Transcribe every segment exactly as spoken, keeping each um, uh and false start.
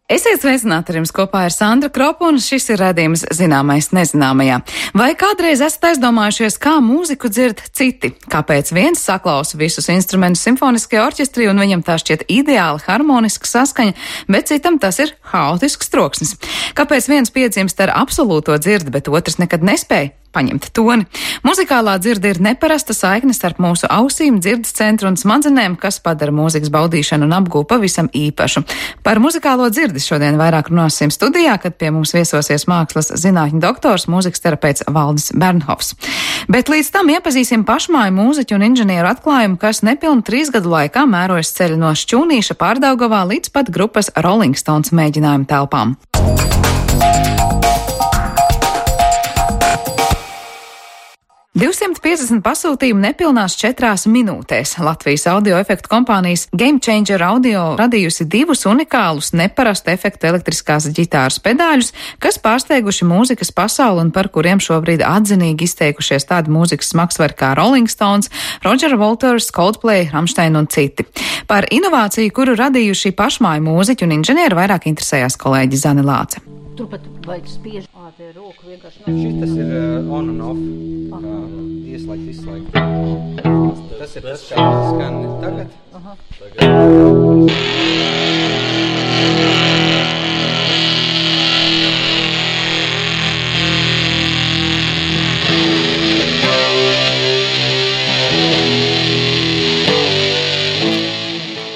Esiet sveicināti, ar jums kopā ir Sandra Kropa, un šis ir redzījums Zināmais nezināmajā. Vai kādreiz esat aizdomājušies, kā mūziku dzird citi? Kāpēc viens saklausa visus instrumentus simfoniskajā orķestrī un viņam tā šķiet ideāli harmoniska saskaņa, bet citam tas ir haotisks troksnis? Kāpēc viens piedzimst ar absolūto dzirdi, bet otrs nekad nespēja paņemt toni? Muzikālā dzirde ir neparasta saikne starp mūsu ausīm, dzirdes centru un smadzenēm, kas padara mūzikas baudīšanu un apgūvu pavisam īpašu. Par muzikālo dzirdi šodien vairāk runāsim studijā, kad pie mums viesosies mākslas zinātņu doktors, mūzikas terapeits Valdis Bernhofs. Bet līdz tam iepazīsim pašmāju mūziķu un inženieru atklājumu, kas nepilnu trīs gadu laikā mērojas ceļu no Šķūnīša Pārdaugavā līdz pat grupas Rolling Stones mēģinājumu telpām. divsimt piecdesmit pasūtījumu nepilnās četrās minūtēs. Latvijas audio efektu kompānijas Game Changer Audio radījusi divus unikālus neparastu efektu elektriskās ģitāras pedāļus, kas pārsteiguši mūzikas pasauli un par kuriem šobrīd atzinīgi izteikušies tādi mūzikas smagsvari kā Rolling Stones, Roger Waters, Coldplay, Rammstein un citi. Par inovāciju, kuru radījuši pašmāju mūziķi un inženieri, vairāk interesējās kolēģi Zane Lāce. Turpat vajag spiež ā, te roku vienkārši. Šitas ir uh, on and off. Uh, ieslēgt, izslēgt. Tas ir tas, kā skan tagad. Aha. Tagad.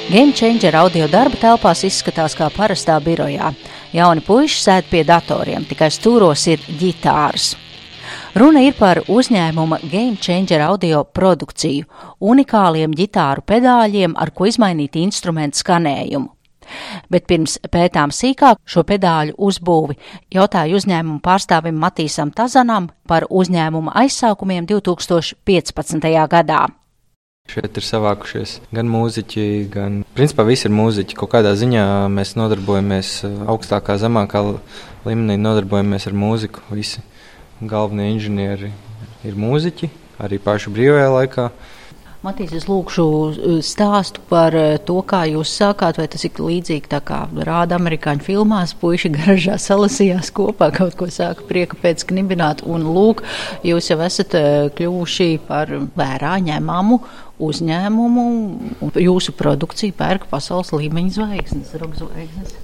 Game Changer audio darba telpās izskatās kā parastā birojā. Jauni puiši sēd pie datoriem, tikai stūros ir ģitāras. Runa ir par uzņēmuma Game Changer audio produkciju, unikāliem ģitāru pedāļiem, ar ko izmainīt instrumentu skanējumu. Bet pirms pētām sīkāk šo pedāļu uzbūvi, jautāju uzņēmumu pārstāvim Matīsam Tazanam par uzņēmuma aizsākumiem divi tūkstoši piecpadsmitajā gadā. Šeit ir savākušies gan mūziķi, gan principā visi ir mūziķi. Kaut kādā ziņā mēs nodarbojamies augstākā, zemākā līmenī, nodarbojamies ar mūziku. Visi galvenie inženieri ir mūziķi, arī paši brīvajā laikā. Matīs, es lūkšu stāstu par to, kā jūs sākāt, vai tas ir līdzīgi tā kā rāda amerikāņu filmās, puiši garažā salasījās kopā, kaut ko sāka prieka pēc knibināt, un lūk, jūs jau esat kļuvuši par vērā ņemamu uzņēmumu, un jūsu produkciju pērk pasaules līmeņa zvaigznes, roka zvaigznes.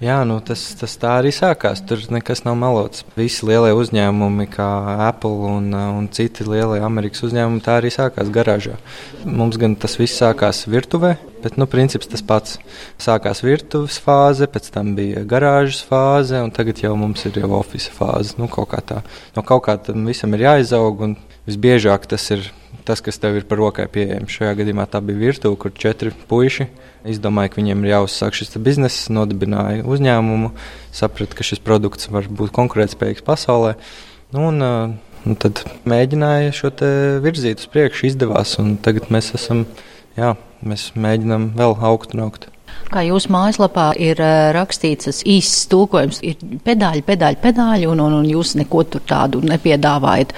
Jā, nu tas, tas tā arī sākās, tur nekas nav melots. Visi lielie uzņēmumi, kā Apple un, un citi lielie Amerikas uzņēmumi, tā arī sākās garāžā. Mums gan tas viss sākās virtuvē, bet, nu, princips tas pats. Sākās virtuves fāze, pēc tam bija garāžas fāze, un tagad jau mums ir jau office fāze, nu, kaut kā tā. No kaut kā tam visam ir jāizaug, un visbiežāk tas ir tas, kas tev ir par rokai pieejams. Šajā gadījumā tā bija virtuve, kur četri puiši izdomāja, ka viņiem ir jāuzsāk šis bizness, nodibināja uzņēmumu, saprata, ka šis produkts var būt konkurētspējīgs pasaulē, un, un tad mēģināja šo te virzīt uz priekšu, izdevās, un tagad mēs esam, jā, mēs mēģinām vēl augt un augt. Kā jūsu mājaslapā ir rakstīts, tas īsts tulkojums ir pedāļi, pedāļi, pedāļi, un, un, un jūs neko tur tādu nepiedāvājat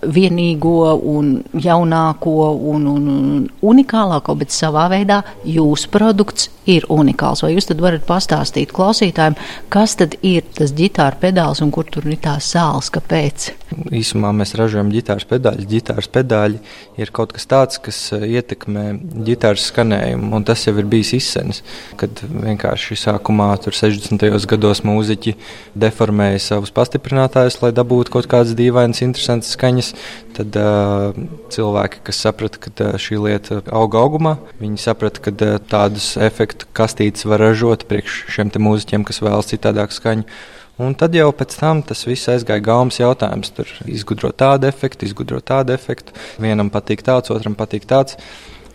vienīgo un jaunāko un, un, un unikālāko, bet savā veidā jūsu produkts ir unikāls. Vai jūs tad varat pastāstīt klausītājiem, kas tad ir tas ģitāra pedāls un kur tur ir tās sāls, kāpēc? Īsumā mēs ražojam ģitāras pedāļus. Ģitāras pedāļi ir kaut kas tāds, kas ietekmē ģitāras skanējumu, un tas jau ir bijis izsenis. Kad vienkārši sākumā tur sešdesmitajos gados mūziķi deformēja savus pastiprinātājus, lai dabūtu kaut kādas dīvainas, interesantas skaņas, tad uh, cilvēki, kas saprata, ka uh, šī lieta auga augumā, viņi saprata, ka uh, tādus efektu kastītes var ražot priekš šiem te mūziķiem, kas vēlas citādāku skaņu. Un tad jau pēc tam tas viss aizgāja gaumas jautājums. Tur izgudro tādu efektu, izgudro tādu efektu. Vienam patīk tāds, otram patīk tāds.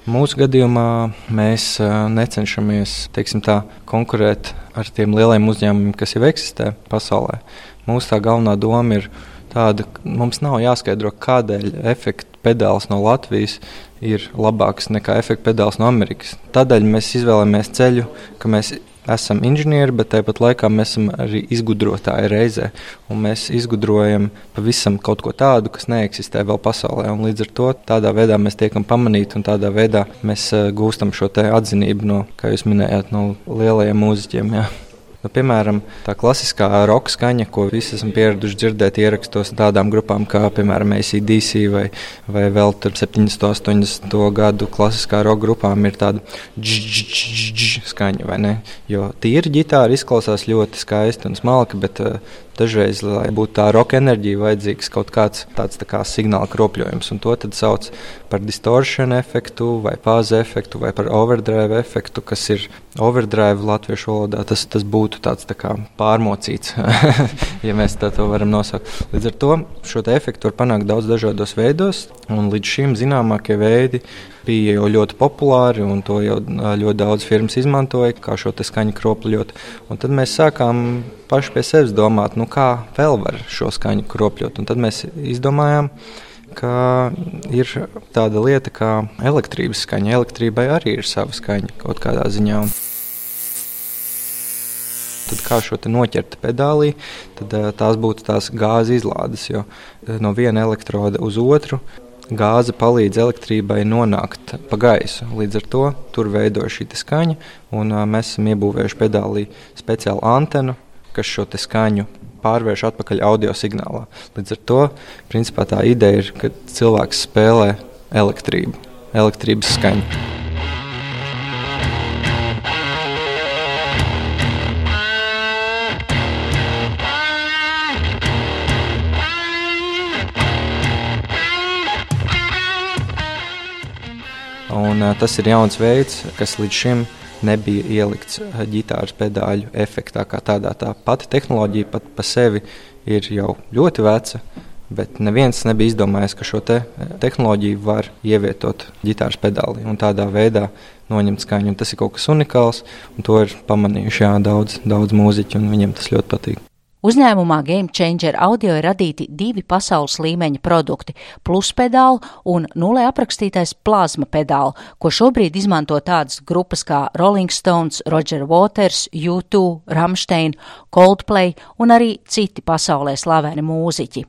Mūsu gadījumā mēs necenšamies, teiksim tā, konkurēt ar tiem lieliem uzņēmumiem, kas jau eksistē pasaulē. Mūsu tā galvenā doma ir tāda, ka mums nav jāskaidro, kādēļ efektu pedāls no Latvijas ir labāks nekā efektu pedāls no Amerikas. Tādēļ mēs izvēlamies ceļu, ka mēs esam inženieri, bet tāpat laikā mēs esam arī izgudrotāji reizē. Un mēs izgudrojam pavisam kaut ko tādu, kas neeksistē vēl pasaulē. Un līdz ar to tādā veidā mēs tiekam pamanīti un tādā veidā mēs uh, gūstam šo te atzinību no, kā jūs minējāt, no lielajiem mūziķiem. Jā. Nu, piemēram, tā klasiskā roka skaņa, ko visi esam pieraduši dzirdēt ierakstos tādām grupām kā, piemēram, A C D C vai, vai vēl tur septiņdesmito, astoņdesmito gadu klasiskā roka grupām ir tāda dž-dž-dž-dž skaņa, vai ne? Jo tīri ģitāra izklausās ļoti skaisti un smalki, bet uh, dažreiz, lai būtu tā roka enerģija, vajadzīgs kaut kāds tāds tā kā signāla kropļojums, un to tad sauc par distortion efektu vai fāze efektu vai par overdrive efektu, kas ir overdrive latviešu valodā, tas, tas būtu tāds tā kā pārmocīts, ja mēs tā to varam nosaukt. Līdz ar to šo te efektu var panākt daudz dažādos veidos, un līdz šim zināmākie veidi bija jau ļoti populāri, un to jau ļoti daudz firmas izmantoja, kā šo te skaņu kropļot. Un tad mēs sākām paši pie sevis domāt, nu kā vēl var šo skaņu kropļot. Un tad mēs izdomājām, ka ir tāda lieta kā elektrības skaņa. Elektrībai arī ir sava skaņa kaut kādā ziņā. Un tad kā šo te noķert pedālī, tad tās būtu tās gāzes izlādes, jo no viena elektroda uz otru gāze palīdz elektrībai nonākt pa gaisu. Līdz ar to tur veidojas šī skaņa, un uh, mēs esam iebūvējuši pedālī speciālu antenu, kas šo te skaņu pārvērš atpakaļ audio signālā. Līdz ar to, principā tā ideja ir, ka cilvēks spēlē elektrību, elektrības skaņu. Un, uh, tas ir jauns veids, kas līdz šim nebija ielikts ģitāras pedāļu efektā kā tādā. Tā pati tehnoloģija pat pa sevi ir jau ļoti veca, bet neviens nebija izdomājis, ka šo te tehnoloģiju var ievietot ģitāras pedālī un tādā veidā noņemt skaņu. Un tas ir kaut kas unikāls, un to ir pamanījuši jā, daudz, daudz mūziķi, un viņiem tas ļoti patīk. Uzņēmumā Game Changer Audio ir radīti divi pasaules līmeņa produkti – plus pedāli un nulē aprakstītais plazma pedāli, ko šobrīd izmanto tādas grupas kā Rolling Stones, Roger Waters, U two, Rammstein, Coldplay un arī citi pasaulē slaveni mūziķi.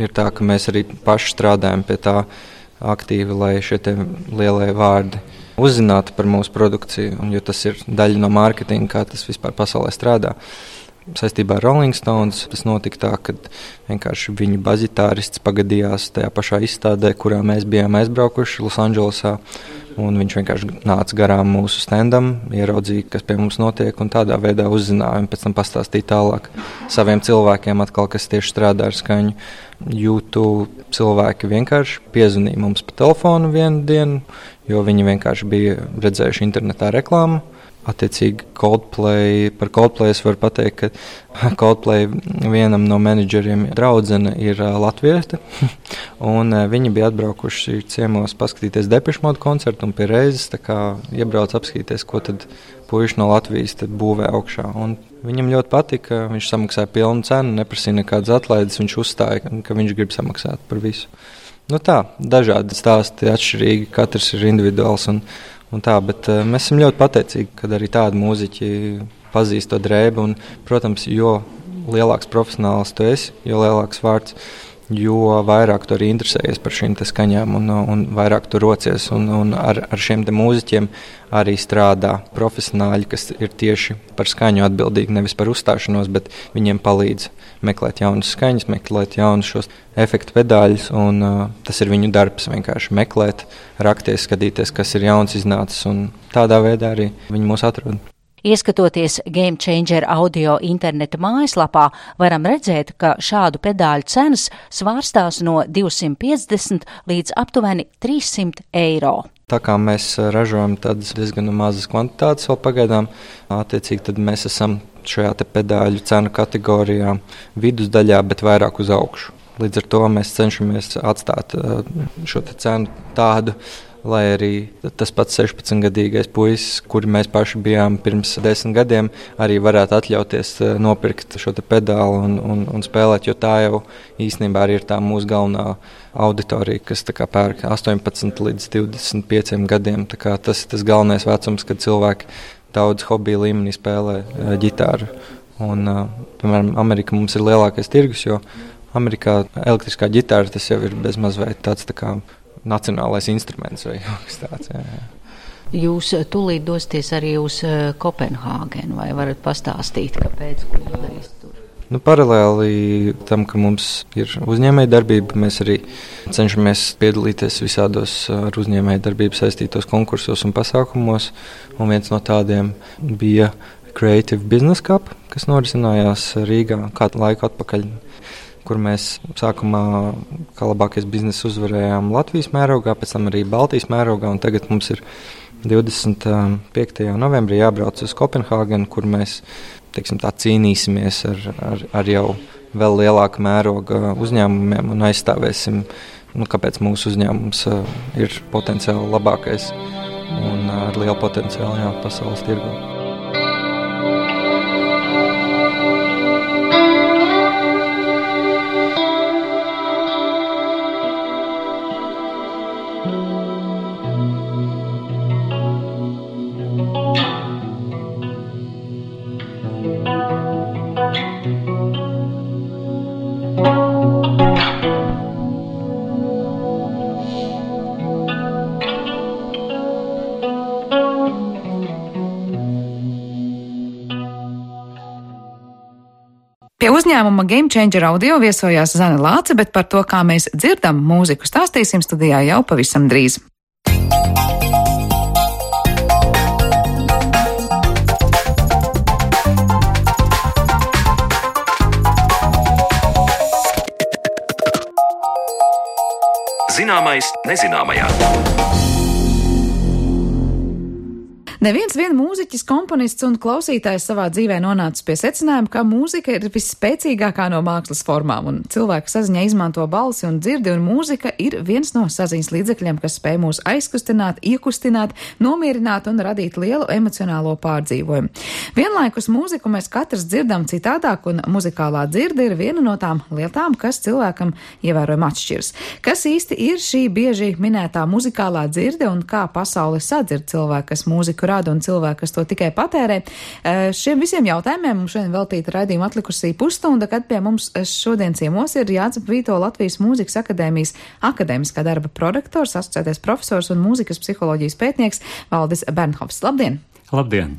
Ir tā, ka mēs arī paši strādājam pie tā aktīvi, lai šie te lielie vārdi uzzinātu par mūsu produkciju, un jo tas ir daļa no mārketinga, kā tas vispār pasaulē strādā. Saistībā ar Rolling Stones tas notika tā, ka vienkārši viņu bazitārists pagadījās tajā pašā izstādē, kurā mēs bijām aizbraukuši Losandželosā, un viņš vienkārši nāca garām mūsu standam, ieraudzīja, kas pie mums notiek, un tādā veidā uzzināja, un pēc tam pastāstīja tālāk saviem cilvēkiem atkal, kas tieši strādā ar skaņu. U two cilvēki vienkārši piezvanīja mums pa telefonu vienu dienu, jo viņi vienkārši bija redzējuši internetā reklāmu. Attiecīgi Coldplay, par Coldplay es varu pateikt, ka Coldplay vienam no menedžeriem draudzene ir uh, latviete, un uh, viņi bija atbraukuši ciemos paskatīties Depeche Mode koncertu un pie reizes tā kā iebrauc apskatīties, ko tad puiši no Latvijas tad būvē augšā. Un viņam ļoti patika, viņš samaksāja pilnu cenu, neprasīja nekādas atlaides, viņš uzstāja, ka viņš grib samaksāt par visu. Nu tā, dažādi stāsti, atšķirīgi, katrs ir individuāls un Un tā, bet uh, mēs esam ļoti pateicīgi, kad arī tādi mūziķi pazīst to drēbi. Un, protams, jo lielāks profesionāls tu esi, jo lielāks vārds, jo vairāk tu arī interesējies par šīm te skaņām un, un vairāk tu rocies. Un, un ar, ar šiem te mūziķiem arī strādā profesionāļi, kas ir tieši par skaņu atbildīgi, nevis par uzstāšanos, bet viņiem palīdz meklēt jaunas skaņas, meklēt jaunus šos efektu pedāļus, un uh, tas ir viņu darbs vienkārši meklēt, rakties, skatīties, kas ir jauns iznācis, un tādā veidā arī viņi mūs atrod. Ieskatoties Game Changer Audio interneta mājaslapā, varam redzēt, ka šādu pedāļu cenas svārstās no divsimt piecdesmit līdz aptuveni trīssimt eiro. Tā kā mēs ražojam tādas diezgan mazas kvantitātes vēl pagaidām, attiecīgi tad mēs esam šajā te pedāļu cenu kategorijā vidusdaļā, bet vairāk uz augšu. Līdz ar to mēs cenšamies atstāt šo te cenu tādu, lai arī tas pats sešpadsmitgadīgais puisis, kuri mēs paši bijām pirms desmit gadiem, arī varētu atļauties nopirkt šo te pedālu un, un, un spēlēt, jo tā jau īstenībā arī ir tā mūsu galvenā auditorija, kas tā kā pērk astoņpadsmit līdz divdesmit pieciem gadiem. Tā kā tas ir tas galvenais vecums, kad cilvēki daudz hobiju līmenī spēlē uh, ģitāru. Un, uh, piemēram, Amerika mums ir lielākais tirgus, jo Amerikā elektriskā ģitāra tas jau ir bezmaz vai tāds tā kā nacionālais instruments vai kaut kas tāds. Jā, jā. Jūs tūlīt dosieties arī uz Kopenhāgenu, vai varat pastāstīt, kāpēc, ko jūs darīs tur? Nu, paralēli tam, ka mums ir uzņēmēja darbība, mēs arī cenšamies piedalīties visādos ar uzņēmēja darbību saistītos konkursos un pasākumos. Un viens no tādiem bija Creative Business Cup, kas norisinājās Rīgā kādu laiku atpakaļ, kur mēs sākumā kā labākais bizness uzvarējām Latvijas mērogā, pēc tam arī Baltijas mērogā, un tagad mums ir divdesmit piektajā novembrī jābrauc uz Kopenhāgenu, kur mēs teiksim, tā cīnīsimies ar, ar, ar jau vēl lielāku mēroga uzņēmumiem un aizstāvēsim, nu, kāpēc mūsu uzņēmums uh, ir potenciāli labākais un uh, ar lielu potenciālu jā, pasaules tirgū. Pie uzņēmuma Game Changer Audio viesojās Zane Lāce, bet par to, kā mēs dzirdam mūziku, stāstīsim studijā jau pavisam drīz. Zināmais nezināmajā. Neviens vien mūziķis, komponists un klausītājs savā dzīvē nonācis pie secinājuma, ka mūzika ir visspēcīgākā no mākslas formām, un cilvēka saziņā izmanto balsi un dzirdi, un mūzika ir viens no saziņas līdzekļiem, kas spēj mūs aizkustināt, iekustināt, nomierināt un radīt lielu emocionālo pārdzīvojumu. Vienlaikus mūziku mēs katrs dzirdam citādāk, un muzikālā dzirde ir viena no tām lietām, kas cilvēkam ievērojami atšķiras. Kas īsti ir šī bieži minētā muzikālā dzirde un kā pasauli sadzird cilvēku, kas mūziku rada un cilvēki, kas to tikai patērē? Šiem visiem jautājumiem mums šodien veltīta raidījuma atlikusī pusstunda, kad pie mums šodien ciemos ir Jācep Vīto, Latvijas Mūzikas akadēmijas akadēmiskā darba prorektors, asociētais profesors un mūzikas psiholoģijas pētnieks Valdis Bernhofs. Labdien! Labdien!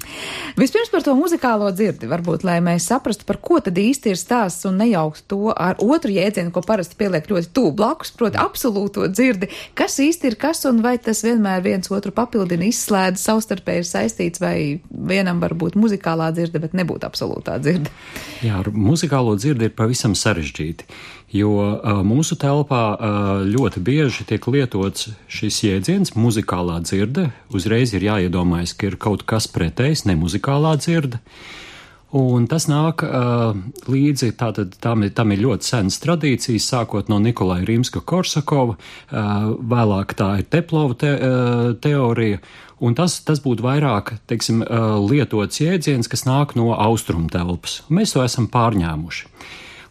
Vispirms par to muzikālo dzirdi, varbūt, lai mēs saprastu, par ko tad īsti ir stāsts un nejauktu to ar otru jēdzienu, ko parasti pieliek ļoti tuvu blakus, proti absolūto dzirdi. Kas īsti ir kas un vai tas vienmēr viens otru papildina, izslēdz, savstarpēji ir saistīts, vai vienam var būt muzikālā dzirde, bet nebūt absolūtā dzirde? Jā, ar muzikālo dzirdi ir pavisam sarežģīti, jo uh, mūsu telpā uh, ļoti bieži tiek lietots šis jēdziens muzikālā dzirde. Uzreiz ir jāiedomājas, ka ir kaut kas pretējs, ne muzikālā dzirde. Un tas nāk uh, līdzi, tātad tam, tam ir ļoti senas tradīcijas, sākot no Nikolaja Rimska-Korsakova, uh, vēlāk tā ir Teplova te, uh, teorija, un tas, tas būtu vairāk, teiksim, uh, lietots jēdziens, kas nāk no austrumu telpas. Mēs to esam pārņēmuši.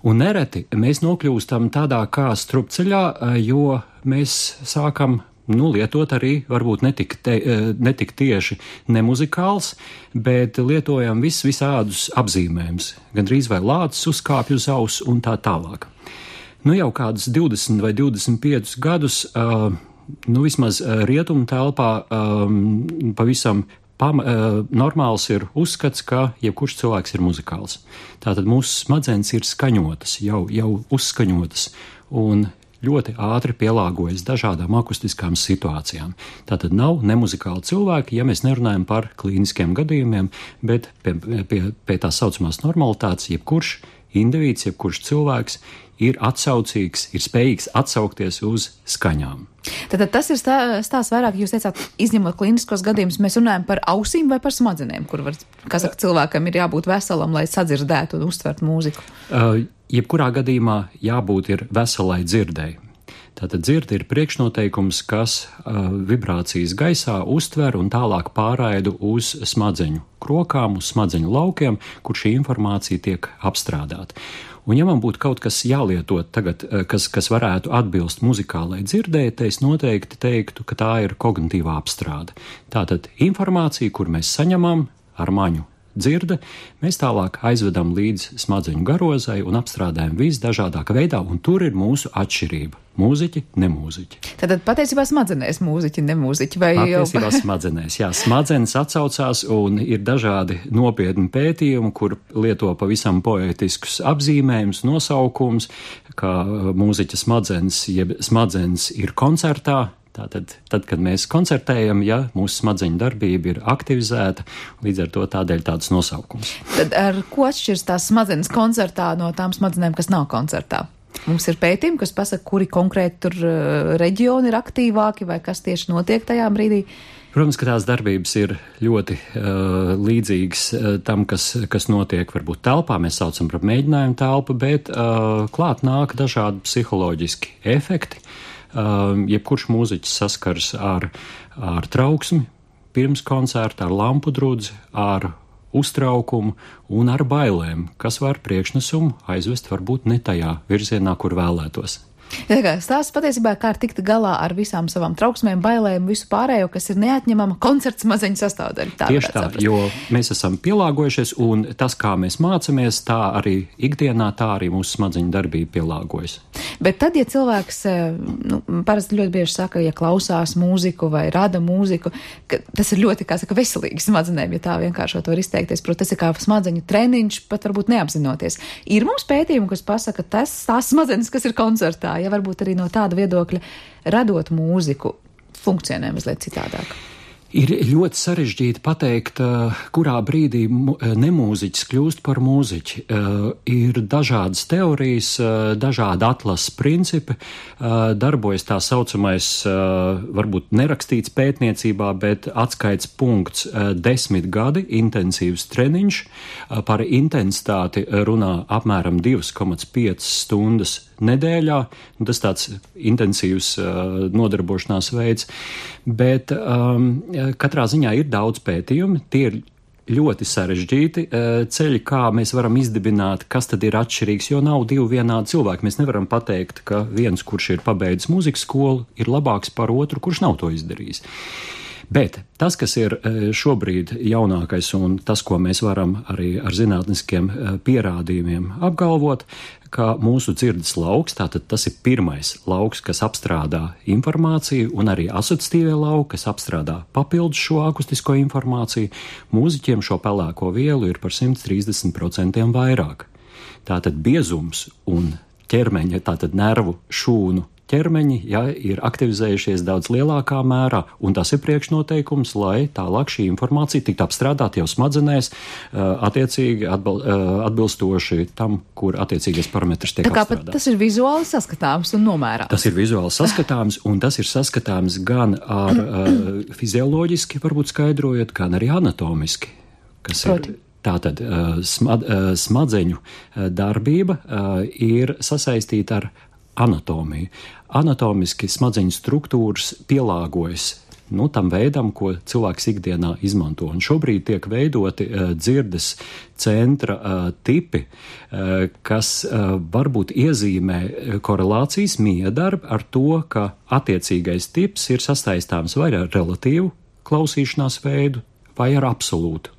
Un nereti mēs nokļūstam tādā kā strupceļā, jo mēs sākam nu, lietot arī varbūt netik, te, netik tieši nemuzikāls, bet lietojam vis, visādus apzīmējumus. Gandrīz vai lācis uzkāpj uz auss un tā tālāk. Nu jau kādus divdesmit vai divdesmit piecus gadus, uh, nu vismaz rietumu telpā um, pavisam Pam, uh, normāls ir uzskats, ka jebkurš cilvēks ir muzikāls. Tātad mūsu smadzenes ir skaņotas, jau, jau uzskaņotas un ļoti ātri pielāgojas dažādām akustiskām situācijām. Tātad nav nemuzikāli cilvēki, ja mēs nerunājam par klīniskiem gadījumiem, bet pie, pie, pie tā saucamās normalitātes jebkurš indivīds, jebkurš cilvēks ir atsaucīgs, ir spējīgs atsaukties uz skaņām. Tātad tas ir stā, stāsts vairāk, jūs teicāt, izņemot klīniskos gadījumus, mēs runājam par ausīm vai par smadzenēm, kur var, kā saka, cilvēkam ir jābūt veselam, lai sadzirdētu un uztvert mūziku? Uh, jebkurā gadījumā jābūt ir veselai dzirdēji. Tātad dzirde ir priekšnoteikums, kas uh, vibrācijas gaisā uztver un tālāk pārraidu uz smadzeņu krokām, uz smadzeņu laukiem, kur šī informācija tiek apstrādāta. Un ja man būtu kaut kas jālietot tagad, kas, kas varētu atbilst muzikālai dzirdēji, tad es noteikti teiktu, ka tā ir kognitīvā apstrāde. Tātad informācija, kur mēs saņemam ar maņu dzirde, mēs tālāk aizvedam līdz smadzeņu garozai un apstrādājam visdažādākā veidā, un tur ir mūsu atšķirība. Mūziķi, nemūziķi. Tātad patiesībā smadzenēs mūziķi, nemūziķi vai jau? Patiesībā smadzenēs, jā. Smadzenes atsaucās un ir dažādi nopietni pētījumi, kur lieto pavisam poētiskus apzīmējumus, nosaukums, kā mūziķa smadzenes, jeb smadzenes ir koncertā. Tātad, tad, kad mēs koncertējam, ja mūsu smadzeņu darbība ir aktivizēta, līdz ar to tādēļ tāds nosaukums. Tad ar ko atšķirs tās smadzenes koncertā no tām smadzenēm, kas nav koncertā? Mums ir pētījumi, kas pasaka, kuri konkrēti tur uh, reģioni ir aktīvāki vai kas tieši notiek tajā brīdī? Protams, ka tās darbības ir ļoti uh, līdzīgas uh, tam, kas, kas notiek varbūt telpā, mēs saucam par mēģinājumu telpu, bet uh, klāt nāk dažādi psiholoģiski efekti. Uh, jebkurš mūziķis saskars ar, ar trauksmi pirms koncerta, ar lampu drudzi, ar uztraukumu un ar bailēm, kas var priekšnesumu aizvest varbūt ne tajā virzienā, kur vēlētos. Stāsts patiesībā, kā tikt galā ar visām savām trauksmēm, bailēm, visu pārējo, kas ir neatņemama koncerta smazeņu sastāvdaļa. Tā Tieši tā, saprast. Jo mēs esam pielāgojušies, un tas, kā mēs mācamies, tā arī ikdienā, tā arī mūsu smadzeņu darbība pielāgojas. Bet tad, ja cilvēks, nu, parasti ļoti bieži saka, ja klausās mūziku vai rada mūziku, ka tas ir ļoti, kā saka, veselīgi smadzenēm, ja tā vienkāršot var izteikties, protams, tas ir kā smadzeņu treniņš, pat varbūt neapzinoties. Ir mums pētījumi, kas pasaka, tas tās smadzenes, kas ir koncertā, ja varbūt arī no tāda viedokļa radot mūziku funkcionē mazliet citādāk. Ir ļoti sarežģīti pateikt, kurā brīdī nemūziķis kļūst par mūziķi. Ir dažādas teorijas, dažādi atlases principi, darbojas tā saucamais, varbūt nerakstīts pētniecībā, bet atskaits punkts desmit gadi, intensīvs treniņš. Par intensitāti runā apmēram divi komats pieci stundas nedēļā. Tas tāds intensīvs nodarbošanās veids, bet um, katrā ziņā ir daudz pētījumi, tie ir ļoti sarežģīti ceļi, kā mēs varam izdibināt, kas tad ir atšķirīgs, jo nav divi vienādi cilvēki. Mēs nevaram pateikt, ka viens, kurš ir pabeidzis mūzikas skolu, ir labāks par otru, kurš nav to izdarījis. Bet tas, kas ir šobrīd jaunākais un tas, ko mēs varam arī ar zinātniskiem pierādījumiem apgalvot, ka mūsu dzirdes lauks, tātad tas ir pirmais lauks, kas apstrādā informāciju, un arī asociatīvie lauki, kas apstrādā papildus šo akustisko informāciju, mūziķiem šo pelēko vielu ir par simt trīsdesmit procentiem vairāk. Tātad biezums un ķermeņa, tātad nervu šūnu ķermeņi, ja, ir aktivizējušies daudz lielākā mērā, un tas ir priekšnoteikums, lai tālāk šī informācija tiktu apstrādāta jau smadzenēs, attiecīgi atbil, atbilstoši tam, kur attiecīgais parametrs tiek apstrādāts. Tā kā tas ir vizuāli saskatāms un nomērāms. Tas ir vizuāli saskatāms, un tas ir saskatāms gan ar uh, fizioloģiski, varbūt skaidrojot, gan arī anatomiski, kas Proti. ir. Tātad smad, smadzeņu darbība ir sasaistīta ar anatomiju. Anatomiski smadzeņu struktūras pielāgojas nu, tam veidam, ko cilvēks ikdienā izmanto. Un šobrīd tiek veidoti uh, dzirdes centra uh, tipi, uh, kas uh, varbūt iezīmē korelācijas miedarbu ar to, ka attiecīgais tips ir sastaistāms vai ar relatīvu klausīšanās veidu, vai ar absolūtu.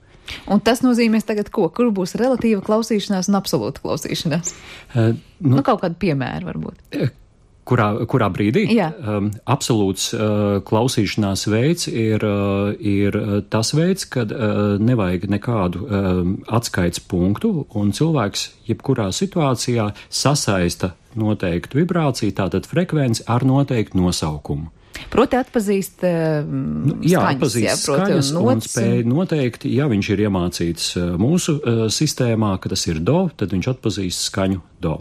Un tas nozīmēs tagad ko? Kur būs relatīva klausīšanās un absolūta klausīšanās? Uh, nu, nu, kaut kādu piemēru varbūt. Uh, Kurā, kurā brīdī? Jā. Um, absolūts uh, klausīšanās veids ir, uh, ir tas veids, kad uh, nevajag nekādu um, atskaites punktu, un cilvēks jebkurā situācijā sasaista noteiktu vibrāciju, tātad frekvenci ar noteiktu nosaukumu. Proti atpazīst uh, nu, jā, skaņas, atpazīst jā, proti skaņas un, un spēj noteikti, ja viņš ir iemācīts uh, mūsu uh, sistēmā, ka tas ir do, tad viņš atpazīst skaņu do.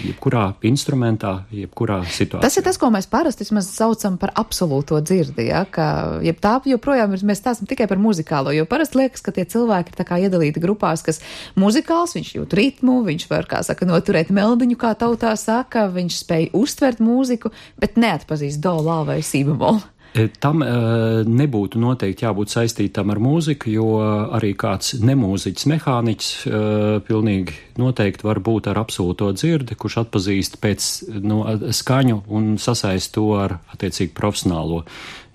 Jebkurā instrumentā, jebkurā situācijā. Tas ir tas, ko mēs parasti saucam par absolūto dzirdi, ja, ka, jeb tā joprojām ir, mēs stāstam tikai par muzikālo, jo parasti liekas, ka tie cilvēki ir tā kā iedalīti grupās, kas muzikāls, viņš jūt ritmu, viņš var, kā saka, noturēt meldiņu, kā tautā saka, viņš spēj uztvert mūziku, bet neatpazīst do, lā vai si bemolu. Tam nebūtu noteikti jābūt saistītam ar mūziku, jo arī kāds nemūziķis mehāniķis pilnīgi noteikti var būt ar absolūto dzirdi, kurš atpazīst pēc no, skaņu un sasaist to ar attiecīgi profesionālo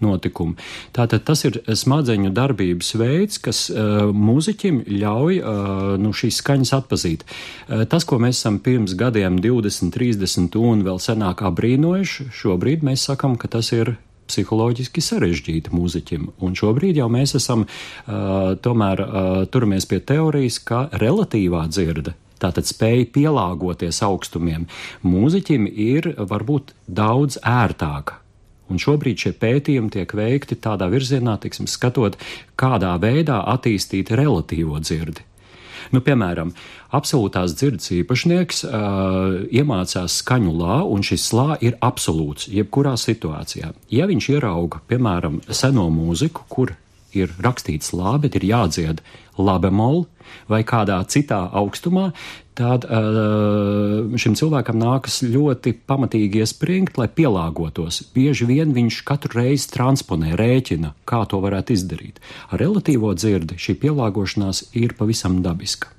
notikumu. Tātad tas ir smadzeņu darbības veids, kas uh, mūziķim ļauj uh, nu, šīs skaņas atpazīt. Uh, tas, ko mēs esam pirms gadiem divdesmit, trīsdesmit un vēl senāk abrīnojuši, šobrīd mēs sakam, ka tas ir psiholoģiski sarežģīti mūziķim. Un šobrīd jau mēs esam uh, tomēr uh, turamies pie teorijas, ka relatīvā dzirde, tātad spēja pielāgoties augstumiem, mūziķim ir varbūt daudz ērtāka. Un šobrīd šie pētījumi tiek veikti tādā virzienā, tiksim, skatot, kādā veidā attīstīt relatīvo dzirdi. Nu, piemēram, absolūtās dzirdes īpašnieks uh, iemācās skaņu lā, un šis lā ir absolūts, jebkurā situācijā. Ja viņš ierauga, piemēram, seno mūziku, kur ir rakstīts lā, bet ir jādzied la bemol vai kādā citā augstumā, tad uh, šim cilvēkam nākas ļoti pamatīgi iespringt, lai pielāgotos. Bieži vien viņš katru reizi transponē, rēķina, kā to varētu izdarīt. Ar relatīvo dzirdi šī pielāgošanās ir pavisam dabiska.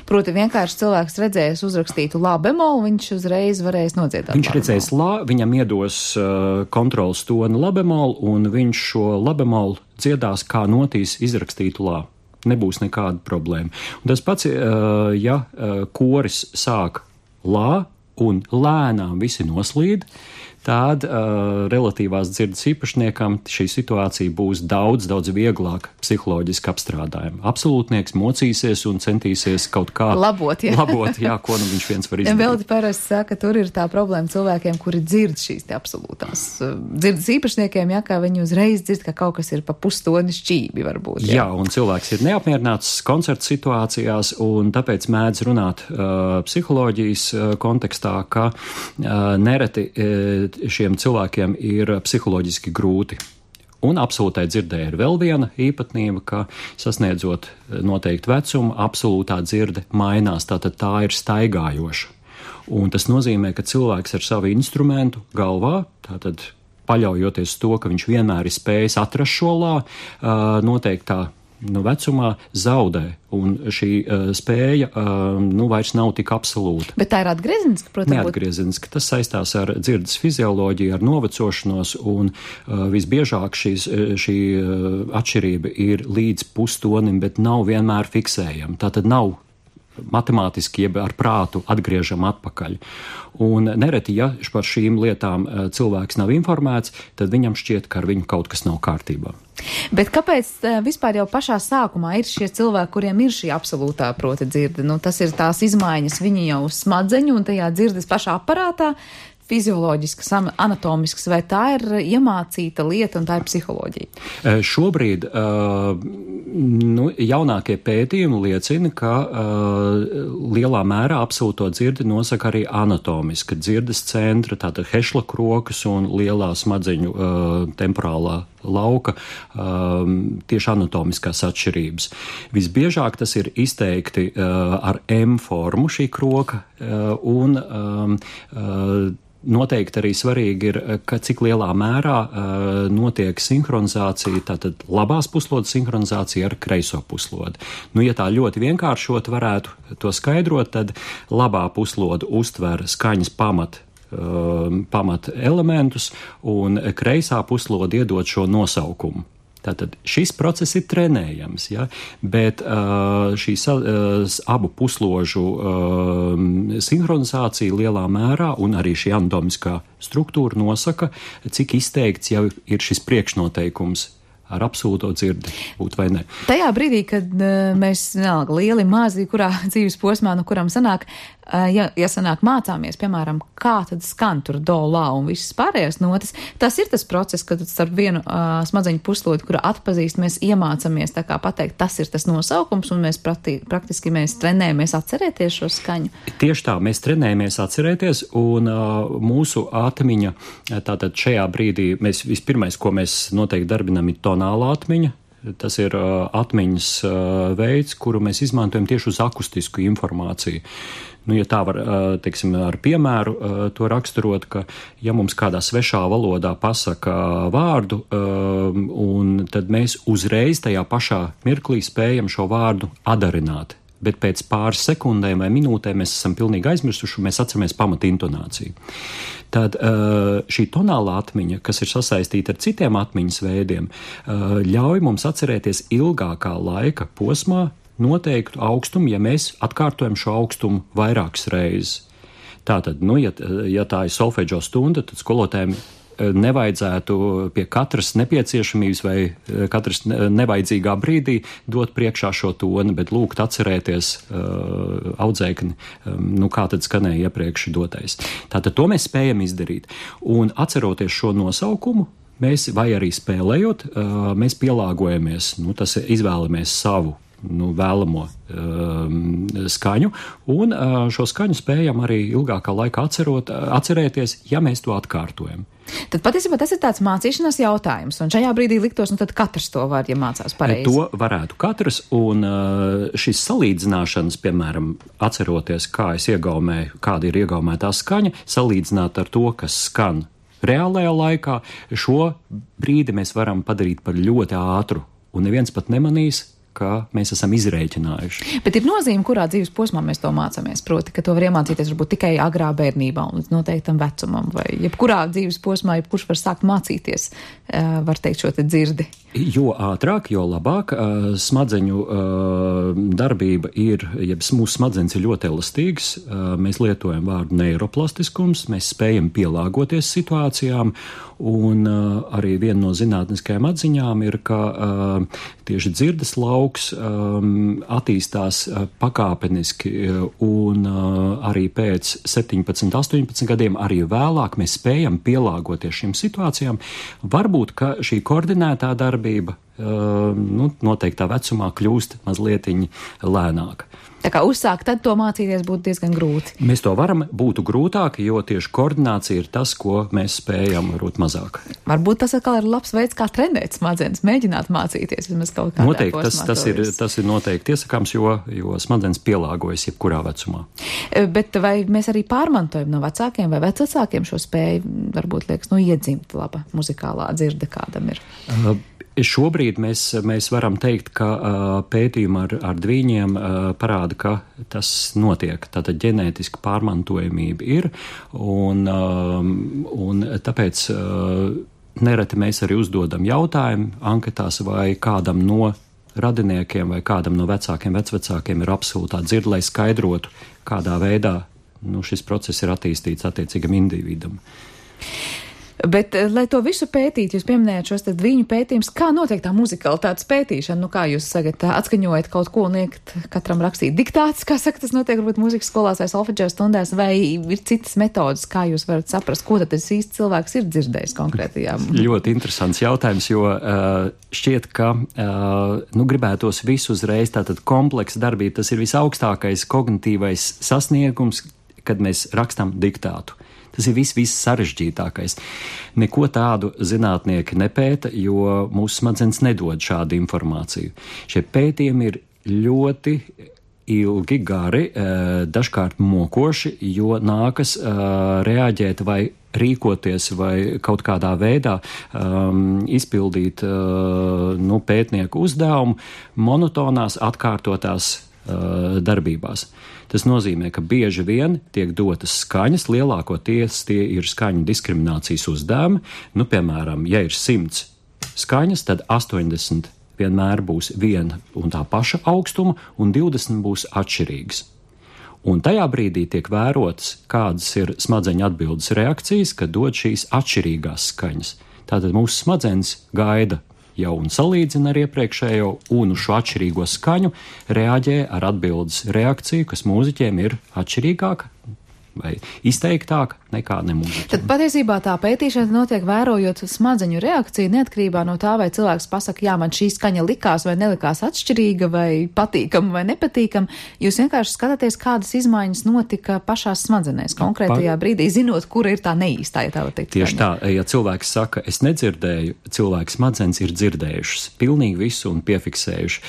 Proti vienkārši cilvēks redzējis uzrakstītu la bemolu, viņš uzreiz varēs nodziedāt. Viņš redzēs la, viņam iedos uh, kontrols toni la bemolu, un viņš šo la bemolu dziedās kā notīs izrakstītu la. Nebūs nekāda problēma. Un tas pats, uh, ja uh, koris sāk la un lēnām visi noslīd, tad uh, relatīvās dzirdes īpašniekam šī situācija būs daudz, daudz vieglāk psiholoģiski apstrādājama. Absolūtnieks mocīsies un centīsies kaut kā labot, jā, labot, jā ko nu viņš viens var izdarīt. Ja vēl parasti saka, tur ir tā problēma cilvēkiem, kuri dzird šīs te absolūtās dzirdes īpašniekiem, jā, kā viņi uzreiz dzird, ka kaut kas ir pa pustoni šķībi varbūt. Jā, jā un cilvēks ir neapmierināts koncerta situācijās, un tāpēc mēdz runāt uh, psiholoģijas uh, kontekstā, ka uh, nereti uh, šiem cilvēkiem ir psiholoģiski grūti. Un absolūtai dzirdē ir vēl viena īpatnība, ka sasniedzot noteiktu vecumu, absolūtā dzirde mainās, tātad tā ir staigājoša. Un tas nozīmē, ka cilvēks ar savu instrumentu galvā, tātad paļaujoties to, ka viņš vienmēr ir spējis atrast šo lā, noteiktā nu, vecumā zaudē, un šī uh, spēja uh, nu, vairs nav tik absolūta. Bet tā ir atgriezeniska, protams? Neatgriezeniska. Tas saistās ar dzirdes fizioloģiju, ar novecošanos, un uh, visbiežāk šīs, šī uh, atšķirība ir līdz pustonim, bet nav vienmēr fiksējama. Tātad nav matemātiski, jeb ar prātu atgriežam atpakaļ. Un nereti, ja par šīm lietām cilvēks nav informēts, tad viņam šķiet, ka ar viņu kaut kas nav kārtībā. Bet kāpēc vispār jau pašā sākumā ir šie cilvēki, kuriem ir šī absolūtā proti dzirde? Nu, tas ir tās izmaiņas viņi jau smadzeņu un tajā dzirdes pašā aparātā, fizioloģisks, anatomisks, vai tā ir iemācīta lieta un tā ir psiholoģija? Šobrīd uh, nu, jaunākie pētījumi liecina, ka uh, lielā mērā absolūto dzirdi nosaka arī anatomiska dzirdes centra, tātad hešla krokas un lielā smadzeņu uh, temporālā lauka um, tieši anatomiskās atšķirības. Visbiežāk tas ir izteikti uh, ar M formu šī kroka uh, un um, uh, noteikti arī svarīgi ir, ka cik lielā mērā uh, notiek sinhronizācija, tātad labās puslodes sinhronizācija ar kreiso puslodi. Nu, ja tā ļoti vienkāršot varētu to skaidrot, tad labā puslode uztver skaņas pamat, uh, pamat elementus, un kreisā puslode iedod šo nosaukumu. Tātad šis process ir trenējams, ja? Bet uh, šīs uh, abu pusložu uh, sinhronizācija lielā mērā un arī šī anatomiskā struktūra nosaka, cik izteikts jau ir šis priekšnoteikums ar absolūto dzirdi būt vai ne. Tajā brīdī, kad uh, mēs vienalga lieli, mazi, kurā dzīves posmā, no kuram sanāk, uh, ja, ja sanāk mācāmies, piemēram, kā tad skan tur do, la un visas pārējās notas, tas ir tas process, kad starp vienu uh, smadzeņu puslodi, kura atpazīst, mēs iemācāmies tā kā pateikt, tas ir tas nosaukums, un mēs prati, praktiski mēs trenējamies atcerēties šo skaņu. Tieši tā, mēs trenējamies atcerēties, un uh, mūsu atmiņa, tātad šajā brīdī, mēs vispirmais, ko mēs noteikti darbinam, ir tonālā atmiņa, Tas ir uh, atmiņas uh, veids, kuru mēs izmantojam tieši uz akustisku informāciju. Nu, ja tā var, uh, teiksim, ar piemēru uh, to raksturot, ka ja mums kādā svešā valodā pasaka vārdu, uh, un tad mēs uzreiz tajā pašā mirklī spējam šo vārdu adarināt. Bet pēc pāris sekundēm vai minūtēm mēs esam pilnīgi aizmirsuši, un mēs atceramies pamata intonāciju. Tad šī tonālā atmiņa, kas ir sasaistīta ar citiem atmiņas veidiem, ļauj mums atcerēties ilgākā laika posmā noteiktu augstumu, ja mēs atkārtojam šo augstumu vairākas reizes. Tātad, nu, ja, ja tā ir solfeģo stunda, tad skolotājiem nevajadzētu pie katras nepieciešamības vai katras nevajadzīgā brīdī dot priekšā šo toni, bet lūgt atcerēties uh, audzēkni, um, nu kā tad skanēja iepriekš dotais. Tātad to mēs spējam izdarīt. Un atceroties šo nosaukumu, mēs vai arī spēlējot, uh, mēs pielāgojamies, nu tas izvēlamies savu nu, vēlamo um, skaņu, un uh, šo skaņu spējam arī ilgākā laikā atcerot, atcerēties, ja mēs to atkārtojam. Tad patiesībā tas ir tāds mācīšanās jautājums, un šajā brīdī liktos, nu tad katrs to var, ja mācās pareizi. To varētu katrs, un uh, šis salīdzināšanas, piemēram, atceroties, kā es iegaumēju, kāda ir iegaumētā skaņa, salīdzināt ar to, kas skan reālajā laikā, šo brīdi mēs varam padarīt par ļoti ātru, un neviens pat nemanīs, ka mēs esam izrēķinājuši. Bet ir nozīme, kurā dzīves posmā mēs to mācāmies, proti, ka to var iemācīties varbūt tikai agrā bērnībā un līdz noteiktam vecumam, vai jebkurā dzīves posmā, jebkurš var sākt mācīties, var teikt, šo te dzirdi. Jo ātrāk, jo labāk smadzeņu darbība ir, ja mūsu smadzenes ir ļoti elastīgas, mēs lietojam vārdu neiroplastiskums, mēs spējam pielāgoties situācijām, un arī viena no zinātniskajām atziņām ir, ka tieši dzirdes lauks attīstās pakāpeniski, un arī pēc septiņpadsmit, astoņpadsmit gadiem, arī vēlāk mēs spējam pielāgoties šīm situācijām. Varbūt, ka šī koordinētā darbība nu, noteiktā vecumā kļūst mazlietiņi lēnāka. Tā kā uzsākt tad to mācīties būtu diezgan grūti. Mēs to varam, būtu grūtāk, jo tieši koordinācija ir tas, ko mēs spējam varbūt mazāk. Varbūt tas atkal ir labs veids, kā trenēt smadzenes, mēģināt mācīties vismaz kaut kādā noteikti, tas, tas, ir, tas ir noteikti iesakāms, jo, jo smadzenes pielāgojas jebkurā vecumā. Bet vai mēs arī pārmantojam no vecākiem vai vecvecākiem šo spēju, varbūt liekas, nu iedzimt laba muzikālā dzirde kādam ir? Uh, Šobrīd mēs, mēs varam teikt, ka uh, pētījumi ar, ar dvīņiem uh, parāda, ka tas notiek. Tātad ģenētiska pārmantojamība ir, un, uh, un tāpēc uh, nereti mēs arī uzdodam jautājumu anketās, vai kādam no radiniekiem vai kādam no vecākiem, vecvecākiem ir absolūtā dzirde, lai skaidrotu, kādā veidā nu, šis process ir attīstīts attiecīgam individam. Bet, lai to visu pētīt, jūs pieminējat šos tad viņu pētījumus, kā notiek tā muzikalitātes pētīšana, nu kā jūs sagat, atskaņojat kaut ko un liekat katram rakstīt diktāts, kā saka, tas notiek varbūt mūzikas skolās vai solfeģo stundās, vai ir citas metodas, kā jūs varat saprast, ko tad tas īsti cilvēks ir dzirdējis konkrētajā? Ļoti interesants jautājums, jo uh, šķiet, ka uh, nu gribētos visu uzreiz, tātad kompleksa darbība, tas ir visaugstākais kognitīvais sasniegums, kad mēs rakstam diktātu. Tas ir viss, viss sarežģītākais. Neko tādu zinātnieki nepēta, jo mūsu smadzenes nedod šādu informāciju. Šie pētījumi ir ļoti ilgi, gari, dažkārt mokoši, jo nākas reaģēt vai rīkoties vai kaut kādā veidā um, izpildīt uh, nu, pētnieku uzdevumu monotonās, atkārtotās uh, darbībās. Tas nozīmē, ka bieži vien tiek dotas skaņas, lielākoties tie ir skaņu diskriminācijas uzdevumi. Nu, piemēram, ja ir simts skaņas, tad astoņdesmit vienmēr būs viena un tā paša augstuma, un divdesmit būs atšķirīgas. Un tajā brīdī tiek vērots, kādas ir smadzeņu atbildes reakcijas, kad dod šīs atšķirīgās skaņas. Tātad mūsu smadzenes gaida jau un salīdzina ar iepriekšējo, un uz šo atšķirīgo skaņu reaģē ar atbildes reakciju, kas mūziķiem ir atšķirīgāka vai izteiktāk nekā nemūziķiem. Tad patiesībā tā pētīšana notiek vērojot smadzeņu reakciju neatkarībā no tā, vai cilvēks pasaka, jā, man šī skaņa likās vai nelikās atšķirīga vai patīkama vai nepatīkama. Jūs vienkārši skatāties, kādas izmaiņas notika pašās smadzenēs konkrētajā pa... brīdī, zinot, kura ir tā neīstā, ja tā var teikt. Tieši tā, ja cilvēks saka, es nedzirdēju, cilvēks smadzenes ir dzirdējušas pilnīgi visu un piefiksējuši.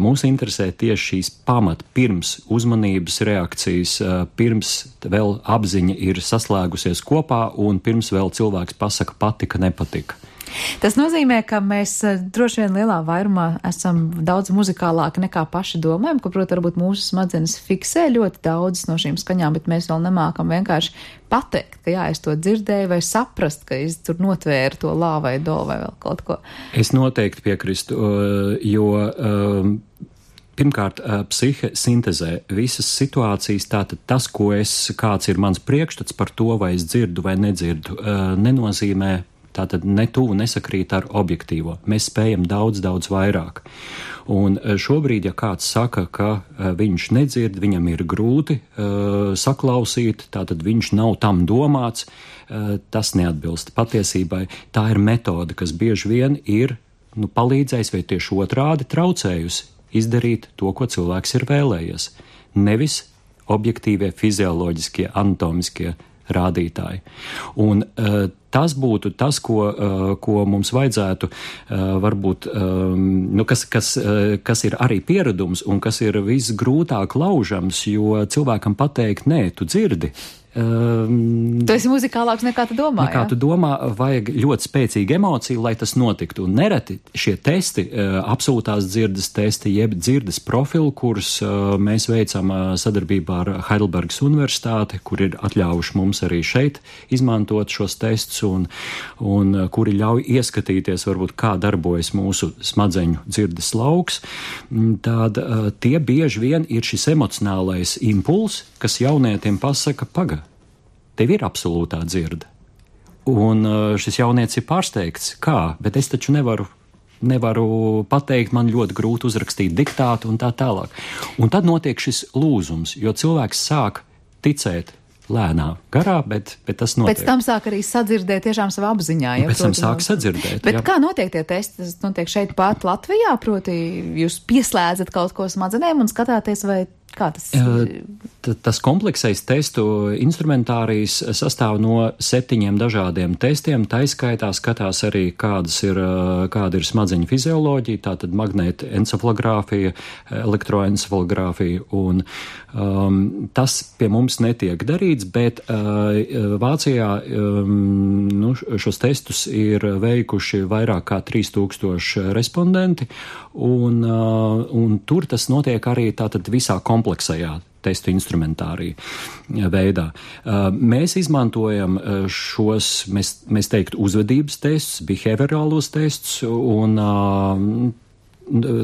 Mūs interesē tieši šīs pamat pirms uzmanības reakcijas, pirms vēl apziņa ir saslēgusies kopā un pirms vēl cilvēks pasaka patika, nepatika. Tas nozīmē, ka mēs droši vien lielā vairumā esam daudz muzikālāki nekā paši domājam, ka, protams, varbūt mūsu smadzenes fiksē ļoti daudzas no šīm skaņām, bet mēs vēl nemākam vienkārši pateikt, ka jā, es to dzirdēju vai saprast, ka es tur notvēru to lā vai do vai vēl kaut ko. Es noteikti piekristu, jo pirmkārt, psihe sintezē visas situācijas, tātad tas, ko es, kāds ir mans priekšstats par to, vai es dzirdu vai nedzirdu, nenozīmē, tātad ne tuvu nesakrīt ar objektīvo. Mēs spējam daudz, daudz vairāk. Un šobrīd, ja kāds saka, ka viņš nedzird, viņam ir grūti uh, saklausīt, tātad viņš nav tam domāts, uh, tas neatbilst patiesībai. Tā ir metode, kas bieži vien ir nu, palīdzējis vai tieši otrādi traucējusi izdarīt to, ko cilvēks ir vēlējies. Nevis objektīvie, fizioloģiskie, anatomiskie rādītāji. Un uh, tas būtu tas, ko, uh, ko mums vajadzētu uh, varbūt, um, nu, kas, kas, uh, kas ir arī pieredums un kas ir visgrūtāk laužams, jo cilvēkam pateikt, nē, tu dzirdi. Um, tu esi muzikālāks nekā tu domā, nekā ja? tu domā, vajag ļoti spēcīgu emociju, lai tas notiktu. Un nereti šie testi, uh, absolūtās dzirdes testi, jeb dzirdes profili, kurus uh, mēs veicam uh, sadarbībā ar Heidelbergas universitāti, kur ir atļaujuši mums arī šeit izmantot šos testus un, un uh, kuri ļauj ieskatīties, varbūt, kā darbojas mūsu smadzeņu dzirdes lauks. Tad uh, tie bieži vien ir šis emocionālais impuls, kas jaunietim pasaka, paga, tev ir absolūtā dzirde. Un šis jaunietis ir pārsteigts, kā, bet es taču nevaru, nevaru pateikt, man ļoti grūti uzrakstīt diktātu un tā tālāk. Un tad notiek šis lūzums, jo cilvēks sāk ticēt lēnā garā, bet, bet tas notiek. Pēc tam sāk arī sadzirdēt tiešām savā apziņā. Ja, pēc tam sāk sadzirdēt. Bet jā. Kā notiek tie testi? Tas notiek šeit pat Latvijā, proti jūs pieslēdzat kaut ko smadzenēm un skatāties, vai kā tas ir? Tas kompleksais testu instrumentārijs sastāv no septiņiem dažādiem testiem. Taiskaitā skatās arī, kādas ir, kāda ir smadzeņu fizioloģija, tātad magnēta encefalogrāfija, elektroencefalogrāfija, un um, tas pie mums netiek darīts, bet uh, Vācijā um, nu, šos testus ir veikuši vairāk kā trīs tūkstoši respondenti, un, uh, un tur tas notiek arī tātad visā kompleksajā testu instrumentārija veidā. Mēs izmantojam šos, mēs, mēs teiktu, uzvedības testus, behaviorālos testus, un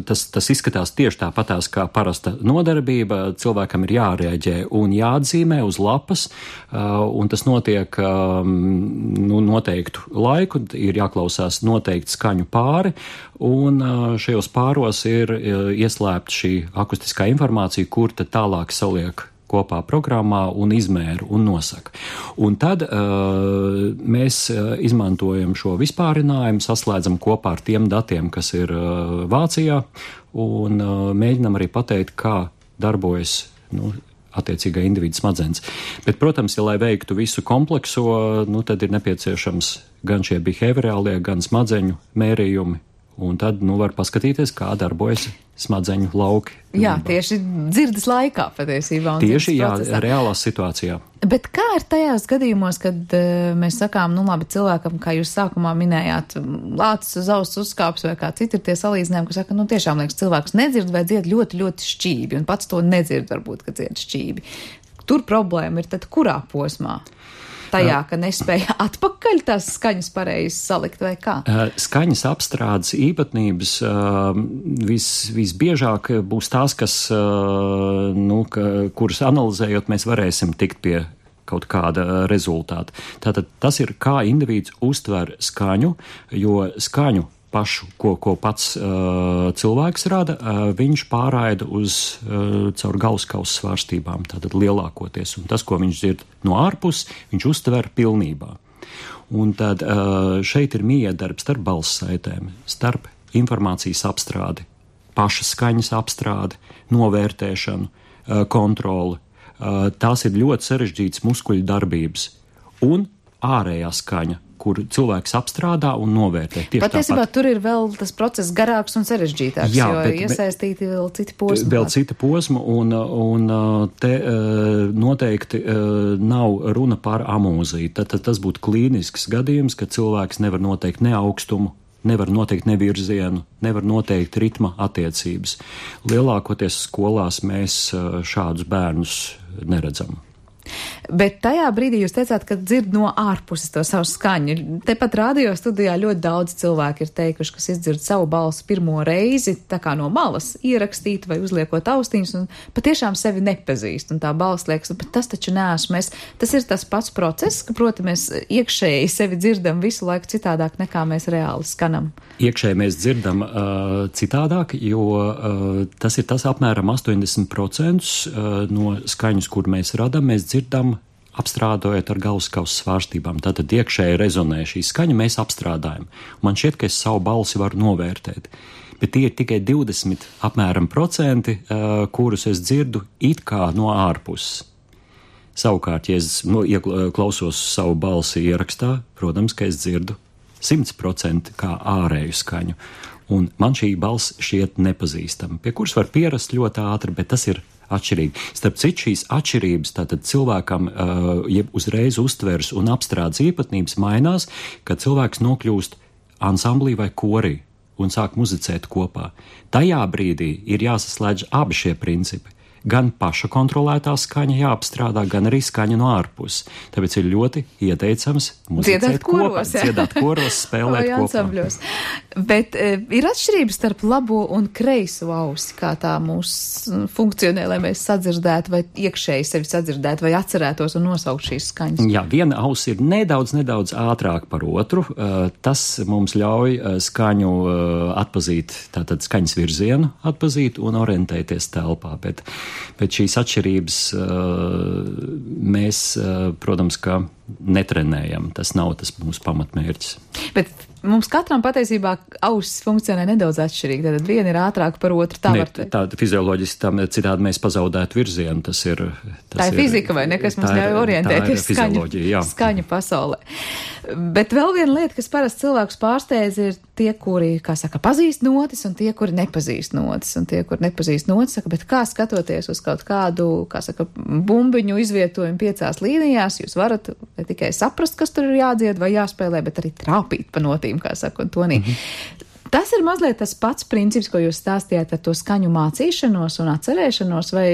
tas, tas izskatās tieši tāpatās kā parasta nodarbība. Cilvēkam ir jārēģē un jāatzīmē uz lapas, un tas notiek nu, noteiktu laiku, ir jāklausās noteikti skaņu pāri, un šajos pāros ir ieslēpta šī akustiskā informācija, kur tad tālāk saliek kopā programmā un izmēru un nosaka. Un tad uh, mēs izmantojam šo vispārinājumu, saslēdzam kopā ar tiem datiem, kas ir uh, Vācijā, un uh, mēģinam arī pateikt, kā darbojas, nu, attiecīgā individu smadzenes. Bet, protams, ja lai veiktu visu komplekso, nu, tad ir nepieciešams gan šie behaviorālie, gan smadzeņu mērījumi. Un tad, nu, var paskatīties, kā darbojas smadzeņu lauki. Jā, tieši dzirdes laikā patiesībā. Tieši, jā, reālā situācijā. Bet kā ir tajās gadījumos, kad uh, mēs sakām, nu labi, cilvēkam, kā jūs sākumā minējāt, lācis uz auss uzkāps vai kā citi ir tie salīdzinājumi, ka saka, nu tiešām liekas, cilvēks nedzird vai dzied ļoti, ļoti šķīvi, un pats to nedzird varbūt, ka dzied šķīvi. Tur problēma ir tad kurā posmā? Tajā, ka nespēja atpakaļ tās skaņas pareizi salikt vai kā? Skaņas apstrādes īpatnības vis, visbiežāk būs tās, kas, nu, ka, kuras analizējot mēs varēsim tikt pie kaut kāda rezultāta. Tātad tas ir, kā individs uztver skaņu, jo skaņu pašu, ko, ko pats uh, cilvēks rada, uh, viņš pārraida uz uh, caur galvaskausa svārstībām, tātad lielākoties. Un tas, ko viņš dzird no ārpus, viņš uztver pilnībā. Un tad uh, šeit ir miedarbs starp balssaitēm, starp informācijas apstrādi, pašas skaņas apstrādi, novērtēšanu, uh, kontroli. Uh, tās ir ļoti sarežģītas muskuļu darbības. Un ārējā skaņa, kur cilvēks apstrādā un novērtē. Patiesībā tur ir vēl tas process garāks un sarežģītāks, Jā, jo bet, iesaistīti vēl citi posmi. Vēl citi posmi, un, un te noteikti nav runa par amūziju. Tad, tad tas būtu klīnisks gadījums, ka cilvēks nevar noteikt ne augstumu, nevar noteikt ne virzienu, nevar noteikt ritma attiecības. Lielākoties skolās mēs šādus bērnus neredzam. Bet tajā brīdī jūs teicāt, ka dzird no ārpuses to savu skaņu. Tepat radio studijā ļoti daudz cilvēku ir teikuši, kas izdzird savu balsi pirmo reizi, tā kā no malas ierakstīt vai uzliekot austiņus, un patiešām sevi nepazīst. Un tā balss liekas, bet tas taču neesmu es. Tas ir tas pats process, ka, proti, mēs iekšēji sevi dzirdam visu laiku citādāk, nekā mēs reāli skanam. Iekšēji mēs dzirdam uh, citādāk, jo uh, tas ir tas apmēram astoņdesmit procenti uh, no skaņas, kur mēs radam, mēs dzirdam apstrādājot ar galvaskausa svārstībām. Tātad iekšēji rezonē šī skaņa, mēs apstrādājam. Man šķiet, ka es savu balsi varu novērtēt. Bet tie ir tikai divdesmit apmēram procenti, uh, kurus es dzirdu it kā no ārpuses. Savukārt, ja es no, klausos savu balsi ierakstā, protams, ka es dzirdu simt procenti kā ārēju skaņu. Un man šī balss šķiet nepazīstama, pie kuras var pierast ļoti ātri, bet tas ir atšķirīgi. Starp citu, šīs atšķirības tātad cilvēkam uh, ja uzreiz uztvers un apstrādes īpatnības mainās, kad cilvēks nokļūst ansamblī vai korī un sāk muzicēt kopā. Tajā brīdī ir jāsaslēdz abi šie principi. Gan paša kontrolētā skaņa jāapstrādā, gan arī skaņa no ārpuses. Tāpēc ir ļoti ieteicams muzicēt kopā, dziedāt koros, spēlēt kopā. Bet e, ir atšķirības starp labo un kreiso ausi, kā tā mūs funkcionē, lai mēs sadzirdētu vai iekšēji sevi sadzirdētu vai atcerētos un nosaukt šīs skaņas. Jā, viena auss ir nedaudz, nedaudz ātrāk par otru. Tas mums ļauj skaņu atpazīt, tātad skaņas virzienu atpazīt un orientēties telpā, bet Bet šīs atšķirības uh, mēs, uh, protams, ka netrenējam. Tas nav tas mūsu pamatmērķis. Bet mums katram patiesībā ausis funkcionē nedaudz atšķirīgi. Tad viena ir ātrāka par otru. Tā, ne, var... tā fizioloģiski tam citādi mēs pazaudētu virzienu. Tas ir, tas tā ir, ir fizika vai ne, kas mums ļauj orientēties skaņu, skaņu pasaulē. Bet vēl viena lieta, kas parasti cilvēkus pārsteidz, ir tie, kuri, kā saka, pazīst notis un tie, kuri nepazīst notis. Un tie, kuri nepazīst notis, saka, bet kā skatoties uz kaut kādu, kā saka, bumbiņu izvietojumu piecās līnijās, jūs varat ne tikai saprast, kas tur ir jādzied vai jāspēlē, bet arī trāpīt pa notīm, kā saka, un tonī. Mm-hmm. Tas ir mazliet tas pats princips, ko jūs stāstījāt ar to skaņu mācīšanos un atcerēšanos, vai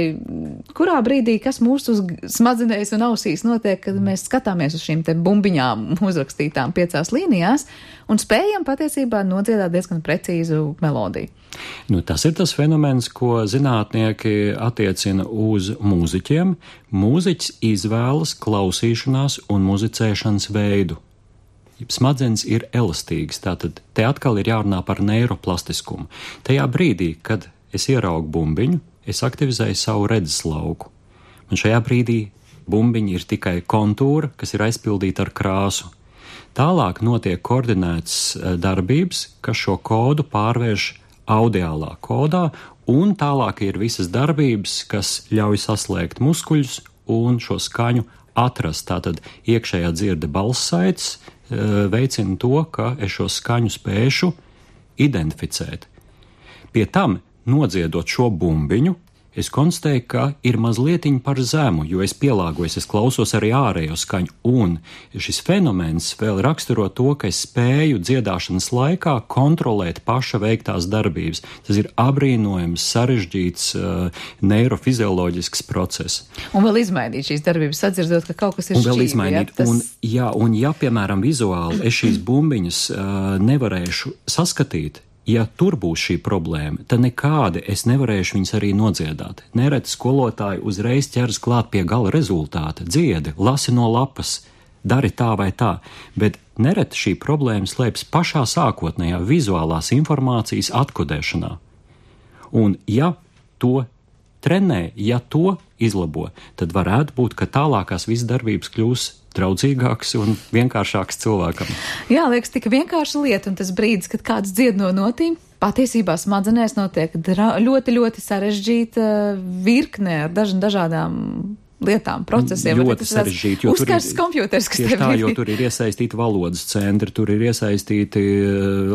kurā brīdī, kas mūsu smadzenēs un ausīs notiek, kad mēs skatāmies uz šīm te bumbiņām uzrakstītām piecās līnijās un spējam patiesībā nodziedāt diezgan precīzu melodiju. Nu, tas ir tas fenomens, ko zinātnieki attiecina uz mūziķiem. Mūziķis izvēlas klausīšanās un muzicēšanas veidu. Smadzenes ir elastīgas, tātad te atkal ir jārunā par neiroplastiskumu. Tajā brīdī, kad es ieraugu bumbiņu, es aktivizēju savu redzes lauku. Un šajā brīdī bumbiņa ir tikai kontūra, kas ir aizpildīta ar krāsu. Tālāk notiek koordinētas darbības, kas šo kodu pārvērš audiālā kodā, un tālāk ir visas darbības, kas ļauj saslēgt muskuļus un šo skaņu atrast. Tātad iekšējā dzirde balssaites veicina to, ka es šo skaņu spēšu identificēt. Pie tam, nodziedot šo bumbiņu, es konstatēju, ka ir mazlietiņ par zemu, jo es pielāgojos, es klausos arī ārējo skaņu, un šis fenomens vēl raksturo to, ka es spēju dziedāšanas laikā kontrolēt paša veiktās darbības. Tas ir abrīnojams, sarežģīts uh, neirofizioloģisks process. Un vēl izmainīt šīs darbības, sadzirdot, ka kaut kas ir šķīvi. Un vēl izmainīt, ja, tas... un, jā, un ja, piemēram, vizuāli es šīs bumbiņas uh, nevarēšu saskatīt, ja tur būs šī problēma, tad nekādi es nevarēšu viņus arī nodziedāt. Nereti skolotāji uzreiz ķeras klāt pie gala rezultāta. Dziedi, lasi no lapas, dari tā vai tā, bet nereti šī problēma slēpjas pašā sākotnējā vizuālās informācijas atkodēšanā. Un ja to trenē, ja to izlabo, tad varētu būt, ka tālākās visas darbības kļūs draudzīgāks un vienkāršāks cilvēkam. Jā, liekas, tik vienkārša lieta, un tas brīdis, kad kāds dzied no notīm, patiesībā smadzenēs notiek dra- ļoti, ļoti sarežģīta virkne ar daž- dažādām lietām, procesiem. Ļoti sarežģīti, jo tur ir, kompjuters, kas tieši tā, ir. jo tur ir iesaistīti valodas centri, tur ir iesaistīti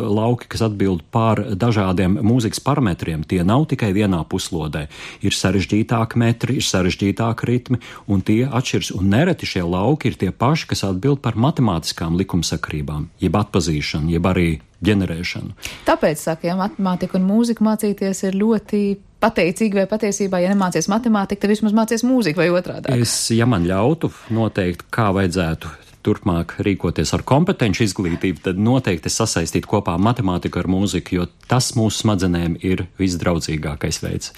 lauki, kas atbild pār dažādiem mūzikas parametriem. Tie nav tikai vienā puslodē. Ir sarežģītāki metri, ir sarežģītāki ritmi, un tie atšķirs. Un nereti šie lauki ir tie paši, kas atbild par matemātiskām likumsakrībām, jeb atpazīšanu, jeb arī ģenerēšanu. Tāpēc, saka, ja matemātika un mūzika mācīties ir ļoti pateicīgi, vai patiesībā, ja nemācies matemātiku, tad vismaz mācies mūziku vai otrādā. Es, ja man ļautu noteikt, kā vajadzētu turpmāk rīkoties ar kompetenci izglītību, tad noteikti sasaistīt kopā matemātiku ar mūziku, jo tas mūsu smadzenēm ir visdraudzīgākais veids.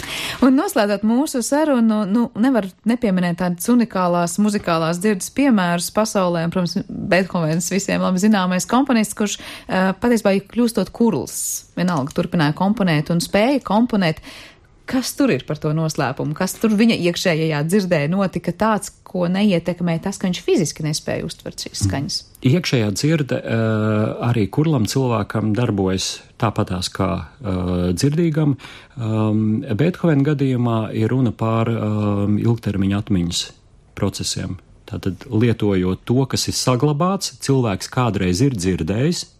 Un noslēdzot mūsu sarunu, nu, nevar nepieminēt tādas unikālās muzikālās dzirdes piemērus pasaulē, un, protams, Beethovens visiem labi zināmais komponists, kurš uh, patiesībā kļūstot kurls, vienalga turpināja komponēt un spēja komponēt. Kas tur ir par to noslēpumu? Kas tur viņa iekšējajā dzirdē notika tāds, ko neietekmē tas, ka viņš fiziski nespēja uztvert šīs skaņas? Iekšējā dzirde arī kurlam cilvēkam darbojas tāpatās kā dzirdīgam. Beethovena gadījumā ir runa par ilgtermiņa atmiņas procesiem. Tātad lietojot to, kas ir saglabāts, cilvēks kādreiz ir dzirdējis,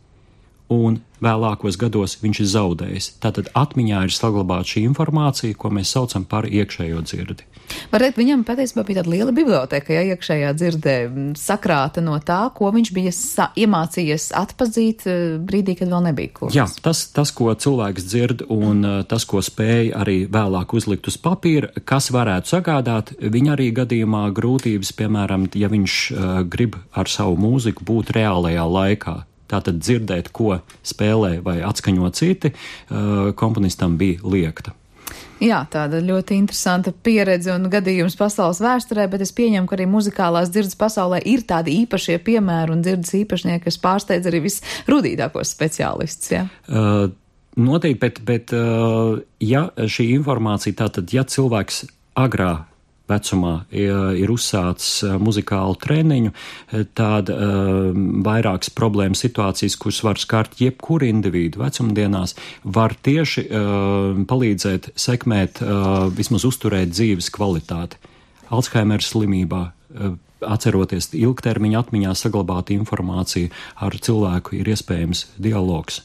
un vēlākos gados viņš ir zaudējis. Tātad atmiņā ir saglabāta šī informācija, ko mēs saucam par iekšējo dzirdi. Varētu viņam patiesībā bija tāda liela biblioteka, ja iekšējā dzirdē sakrāta no tā, ko viņš bija sa- iemācījies atpazīt brīdī, kad vēl nebija kurls. Jā, tas, tas, ko cilvēks dzird un tas, ko spēja arī vēlāk uzlikt uz papīra, kas varētu sagādāt viņa arī gadījumā grūtības, piemēram, ja viņš uh, grib ar savu mūziku būt reālajā laikā. Tātad dzirdēt, ko spēlē vai atskaņo citi, komponistam bija liekta. Jā, tāda ļoti interesanta pieredze un gadījums pasaules vēsturē, bet es pieņemu, ka arī muzikālās dzirdes pasaulē ir tādi īpašie piemēri un dzirdes īpašnieki, kas pārsteidz arī visrudītākos speciālistus. Ja? Uh, noteikti, bet, bet uh, ja šī informācija, tātad, ja cilvēks agrā vecumā ir uzsācis muzikālu treniņu, tad uh, vairākas problēmas situācijas, kuras var skart jebkuru individu vecumdienās, var tieši uh, palīdzēt sekmēt, uh, vismaz uzturēt dzīves kvalitāti. Alzheimera slimībā, uh, atceroties ilgtermiņa atmiņā saglabāt informāciju, ar cilvēku ir iespējams dialogs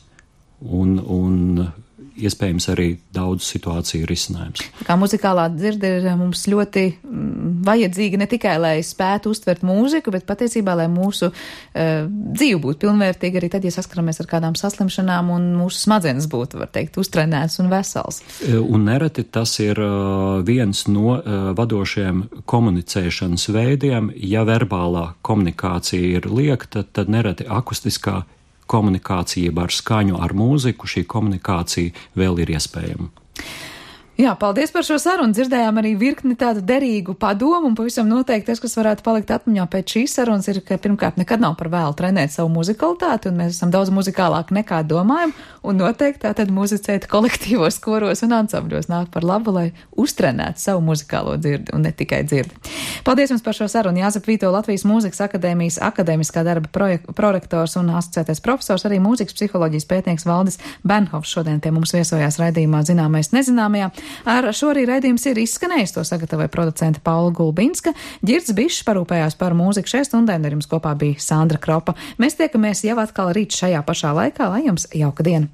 un, un iespējams arī daudz situāciju risinājums. Tā kā muzikālā dzirde ir mums ļoti mm, vajadzīga ne tikai, lai spētu uztvert mūziku, bet patiesībā, lai mūsu uh, dzīve būtu pilnvērtīga arī tad, ja saskaramies ar kādām saslimšanām un mūsu smadzenes būtu, var teikt, uztrenēts un vesels. Un nereti tas ir uh, viens no uh, vadošiem komunicēšanas veidiem. Ja verbālā komunikācija ir liekta, tad nereti akustiskā komunikācija ar skaņu, ar mūziku, šī komunikācija vēl ir iespējama. Jā, paldies par šo sarunu. Dzirdējām arī virkni tādu derīgu padomu, un pavisam noteikti tas, kas varētu palikt atmiņā pēc šīs sarunas, ir, ka pirmkārt nekad nav par vēlu trenēt savu muzikalitāti, un mēs esam daudz muzikālāki nekā domājam, un noteikti tātad muzicēt kolektīvos koros un ansambļos nāk par labu, lai uztrenētu savu muzikālo dzirdi, un ne tikai dzirdi. Paldies jums par šo sarunu. Jāzep Vīto, Latvijas Mūzikas akadēmijas akadēmiskā darba projek- prorektors un asociētais profesors, arī mūzikas psiholoģijas pētnieks Valdis Bernhofs šodien pie mums viesojās raidījumā Zināmais nezināmajā. Ar šo arī raidījums ir izskanējis, to sagatavoja producente Paula Gulbinska, Ģirds Bišs parūpējās par mūziku šai stundai, un ar jums kopā bija Sandra Kropa. Mēs tiekamies jau atkal rīt šajā pašā laikā, lai jums jauka diena!